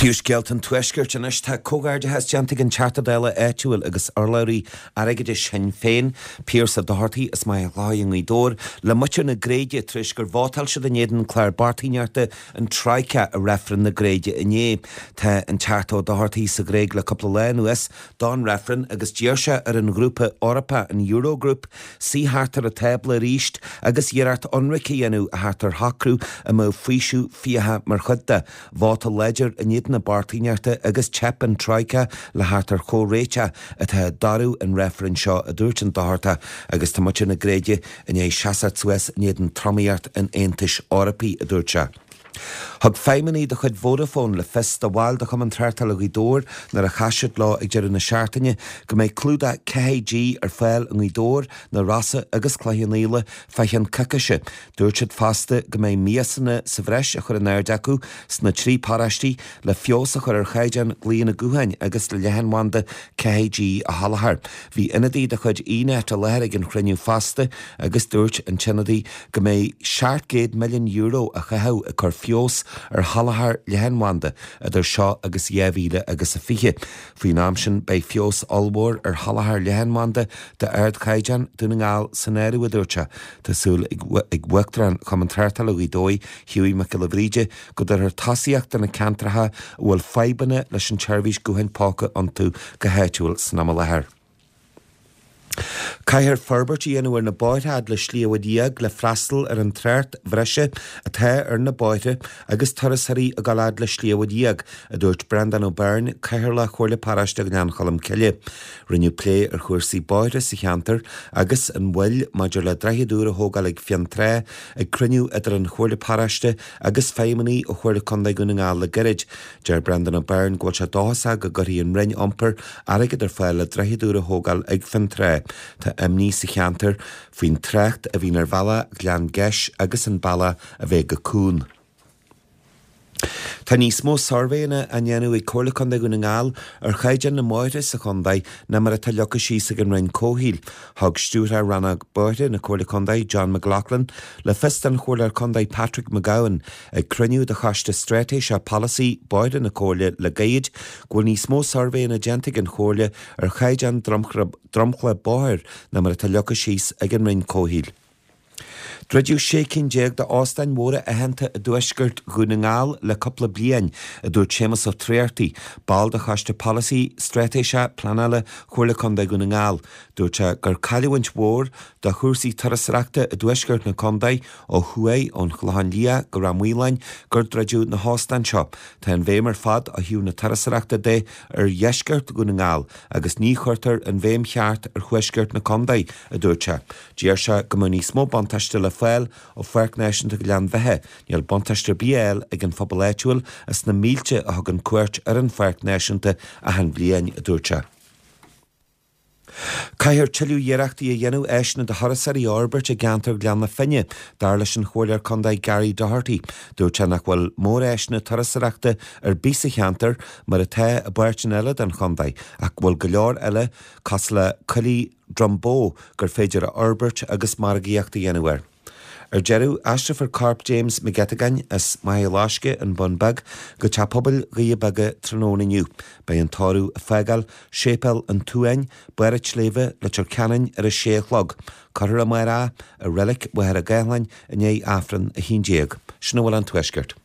Príomhscéalta an Tuaiscirt anois. Tá comhghairdeachas déanta ag an Teachta Dála áitiúil agus urlabhraí airgeadais Shinn Féin, Pearse Doherty as Machaire Chlochair i nGaoth Dobhair, le muintir na Gréige tar éis gur vótáil siad in éadan clár bochtaineachta an Troika i reifreann na Gréige inné. Tá an Teachta Ó Dochartaigh sa Ghréig le cúpla lá anuas don reifreann agus d'iarr sé ar an ghrúpa Eorpach, an Eurogroup, suí thart ar an tábla arís agus iarracht ionraic a dhéanamh a theacht ar shocrú a mbeadh faoiseamh fiacha mar chuid de. Vóta láidir in éadan na bochtaineachta agus teip an Troika le theacht ar chomhréiteach atá i dtoradh an reifrinn seo, a dúirt an Dochartach, agus tá muintir na Gréige i ndiaidh seasamh suas in éadan tromaíocht an Aontais Eorpaigh, a dúirt sé. Thug feidhmeannaigh de chuid Vodafone le fios do bhaill de Chumann Tráchtála Ghaoth Dobhair nuair a chas siad leo ag deireadh na seachtaine go mbeidh clúdach 4G ar fáil i nGaoth Dobhair, Na Rosa agus Cloich Cheann Fhaola fá cheann coicíse. Dúirt siad fosta go mbeidh miasanna sa bhreis á chur in airde acu sna trí paróistí le feabhas a chur ar chaighdeán glaonna gutháin agus le leathanbhanda 4G a sholáthar. Bhí ionadaí de chuid eNet i láthair ag an chruinniú fosta agus dúirt an t-ionadaí go mbeidh €700 milliún á chaitheamh ag cur feabhas ar sholáthar leathanbhanda idir seo agus 2020. Faoin am sin beidh feabhas ollmhór ar sholáthar leathanbhanda d'ardchaighdeán, Dún na nGall san áireamh, a dúirt sé. Tá súil ag Uachtarán Chumann Tráchtála Ghaoth Dobhair, Hughie Mac Giolla Bhríde, go dtabharfar tosaíocht do na ceantracha a bhfuil fadhbanna leis an tseirbhís gutháin póca iontu go háitiúil san am i láthair. Caithfear forbairt a dhéanamh ar na bóithre fhad le Sliabh a Liag le freastal ar an trácht bhreise atá ar na bóithre agus turasóirí ag dul fhad le Sliabh a Liag, a dúirt Breandán Ó Beirn, Cathaoirleach Chomhairle Paróiste Ghleann Cholm Cille. Rinneadh plé ar chúrsaí bóithre sa cheantar agus an mhoill maidir le droichead úr a thógáil ag Fionntrá ag cruinniú idir an Chomhairle Paróiste agus feidhmeannaigh ó Chomhairle Contae Dhún na nGall le gairid. Deir Breandán Ó Beirn go bhfuil sé dóchasach go gcuirfidh an Roinn Iompair airgead ar fáil le droichead úr a thógáil ag Fionntrá. Tá imní sa cheantar faoin trácht a bhíonn ar bhealach Ghleann Geis agus an bealach a bheidh go Cuan. Tá níos mó suirbhéanna á ndéanamh ag Comhairle Contae Dhún na nGall ar chaighdeán na mbóithre sa chontae ná mar atá leagtha síos ag an Roinn Comhshaoil. Thug Stiúrthóir Rannóg Bóithre na Comhairle Contae, John McLaughlin, le fios don Chomhairleoir Contae Patrick McGowan ag cruinniú de Choiste Straitéiseach Polasaí Bóithre na Comhairle le gairid go bhfuil níos mó suirbhéanna déanta ag an Chomhairle ar chaighdeán dromchla bóthair ná mar atá leagtha síos ag an Roinn Comhshaoil. Druideadh 16 cinn d'óstáin mhóra aitheanta i dtuaisceart Dhún na nGall le cúpla bliain, a dúirt Séamus Ó Tráchtaigh, ball de Choiste Polasaí Straitéiseach Pleanála Chomhairle Contae Dhún na nGall. Dúirt sé gur cailliúint mhór do chúrsaí turasóireachta i dtuaisceart na contae ó thuaidh, ón Chlochán Liath go Ráth Maoláin, gur druideadh na hóstáin seo. Tá an bhéim ar fad ó thaobh na turasóireachta de ar dheisceart Dhún na nGall agus ní chuirtear an bhéim cheart ar thuaisceart na contae, a dúirt sé. Deir sé go mbeadh níos mó buntáiste le fáil ó Pháirc Náisiúnta Ghleann Bheithe. Níl buntáiste ar bith á fháil ag an phobal áitiúil as na mílte a thugann cuairt ar an Pháirc Náisiúnta achan bhliain, a dúirt sé. Caithfear tuilleadh iarrachtaí a dhéanamh áiseanna do thurasóirí a fhorbairt i gceantar Ghleann na Finne, dar leis an Chomhairleoir Contae Gary Doherty. Dúirt sé nach bhfuil móráiseanna turasóireachta ar bith sa cheantar mar atá i bpáirteanna eile den chontae ach go bhfuil go leor eile cosúil le coillidh Drumbó gur féidir a fhorbairt agus margaíocht a dhéanamh air. Ar deireadh, aistreofar corp James Mac Eiteagáin as Machaire Loiscthe, An Bun Beag, go Teach Pobail Dhoirí Beaga tráthnóna inniu. Beidh an tórramh ag fágáil Séipéal an tSuain, Barr an tSléibhe, Leitir Ceanainn ar a sé a chlog. Cuirfear amárach é i Reilig Mhachaire Gathlán i ndiaidh Aifreann a 11. Sin a bhfuil ón Tuaisceart.